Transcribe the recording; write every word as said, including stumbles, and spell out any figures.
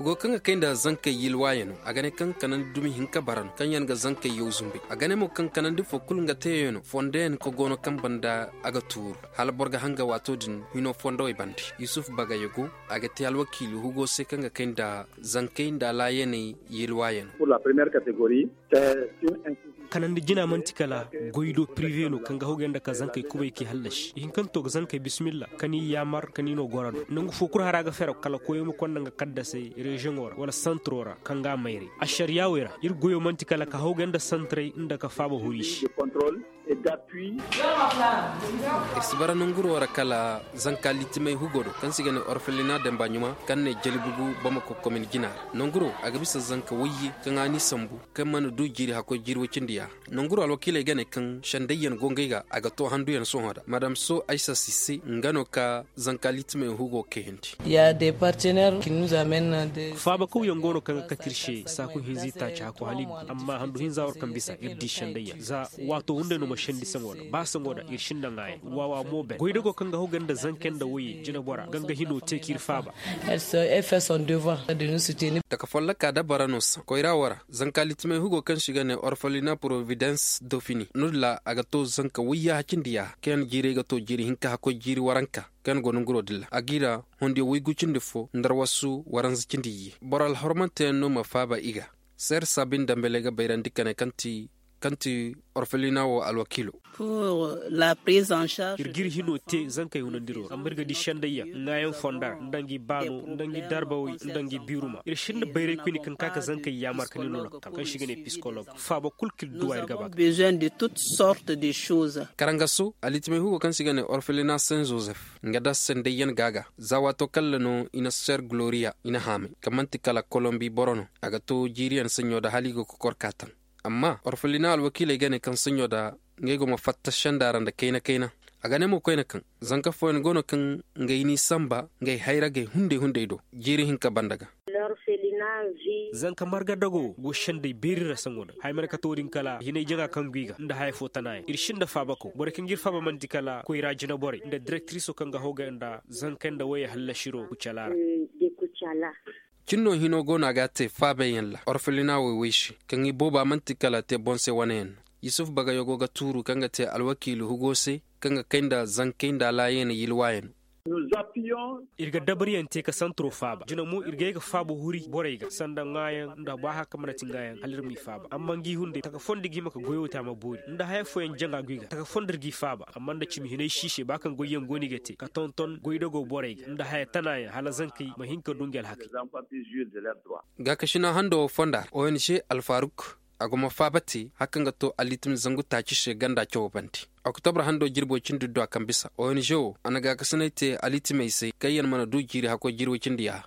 Go kaŋ ga kay nda zankey yilwaayano a ga ne kaŋ kanandi dumi hinka bara no kaŋ yaŋ ga zankey yaw zumbay. A ga ne mo kaŋ kanandi fo kulu nga teeyaŋ no fondoyaŋ ka go no kaŋ banda a ga tuuru hala boro ga hanga waato din hino fondowey bande. Yusuf bagayago a ga te alwakiili hugo se kaŋ ga kay nda zankey nda laayaney yilwaayano. Kanandi jina manti kala goy do pirive no kaŋ ga hogay nda ka zankey kubay k'i hallasi i hinkanto ga zankey bismilla ka ni yaamar ka ni no goro no nangu fo kulu hara ga fero kala koyo ma konda nga kaddasey reziyoŋo ra wala santiro ra kaŋ ga a mayray. Ašariyaawey ra iri goyo manti kala ka hogay nda santiray nda ka faaba hori se. Iri si bara nanguro ra kala zanka litimey hugo do kaŋ se i ga ne orfelina damba ɲuma kaŋ ne jalibugu bamako komin jina ra nanguro a ga bisa zanka wayye kaŋ a n'i sambu kaŋ mana du jiiri hakkoy jiiri way cindi ya. Nanguro alwakiiley ga ne kaŋ sendayyaŋ go ngey ga a ga to handuyaŋ sohõ da madam so aysa sise nga no ka zanka litimey hugo kayandi. Faaba kawyaŋ go no kaŋ ga kate iri se saaku hinza i taaci hakko hala i gu amma handu hinza war kaŋ bisa iri di sendayyaŋ za waato hunday no ma sendi saŋo da ba saŋo da iri sinda ŋaayaŋ waawa mo ben goydago kaŋ ga hogay nda zanka nda wayye jinabora ga nga hino te k'iri faaba. Taka folloka dabara no saŋ koyra wo ra zanka litimey hugo kaŋ se i ga ne orfelina providence dauphiné no- din ra a ga to zanka wayye hacindiya kaŋ yaŋ jiirey ga to jiiri hinka hakkoy jiiri waranka kaŋ yaŋ go nanguro din ra a g'i ra hondiyaŋ waygu cindi fo nda arwasu waranza cindi iyye boro alhormanteyaŋ no ma faaba i ga. Seer saabin dambeley ga bayrandi ka ne kaŋ ti orfelina wo alwakiilo. Iri g'iri hino te zankey hunandiro ra amma iri ga di sendayyaŋ ŋaayaŋ fonda ra nda ngi baano nda ngi darbawey nda ngi biiruma iri sinda bayray koyne kaŋ ka ka zankey yaamar ka ni no lakkal kaŋ se i ga ne pisikoloog faaba kulu kaŋ iri duwa iri ga ba ga. Karangaso alitimey hugo kaŋ se i ga ne orfelina saint joseph nga da sendayyaŋ ga ga za waato kaŋ ra no i na seer gloriya i na haamay kaŋ manti kala kolombi boro no a ga to jiiriyaŋ saɲɲo da hala i go ga kor ka taŋ. Amma orfelina alwakiiley ga ne kaŋ saɲɲo da ngey go ma fatta senda ra nda kayna kayna. A ga ne mo koyne kaŋ zanka fooyaŋ go no kaŋ ngey n'i samba ngey hayragey hunday hunday do jiiri hinka banda ga. Zanka marga dago go sendey beeri ra saŋo da haya mana kate wo- din kala hinay jaŋa kaŋ go i ga nda haya fo tanayaŋ iri sinda faabako borey kaŋ g'iri faaba manti kala koyra jinaborey nda direktiriso kaŋ ga hogay nda zankey nda wayey hallasiro kucala ra. Cin no hino go no a ga a te faabayyaŋ ra orfelina wo way se kaŋ i booba manti kala te boŋ se wane yaŋ no. Yusuf bagayago ga tuuru kaŋ ga te alwakiili hugo se kaŋ ga kay nda zankey nda alaayey na yilwaayano. Iri ga dabariyaŋ te ka santiro faaba jina mo iri ga ye ga faaba huri borey ga sanda ŋwaayaŋ nda ba hari kaŋ mana ti ŋwaayaŋ hala iri m'i faaba amma ngi hunday taka fondo ga hima ka goyo te a ma boori nda haya fooyaŋ jaŋa go i ga taka fondo iri g'i faaba amma nda cimi hinay si se ba kaŋ goyyaŋ go no i ga te ka tonton goydago borey ga nda haya tanayaŋ hala zankey ma hin ka du ngi alhakey. Gaakasina hando wo fonda ra ong alfaruk a go ma faaba te hari kaŋ ga to alitim zangu taaci se ganda cawo bande. Oktobre hando jirbo cindi du a kaŋ bisa ong wo a na gaakasinay te alitimey se kaŋ yaŋ mana du jiiri hakkoy jiiri way cindi yaaha.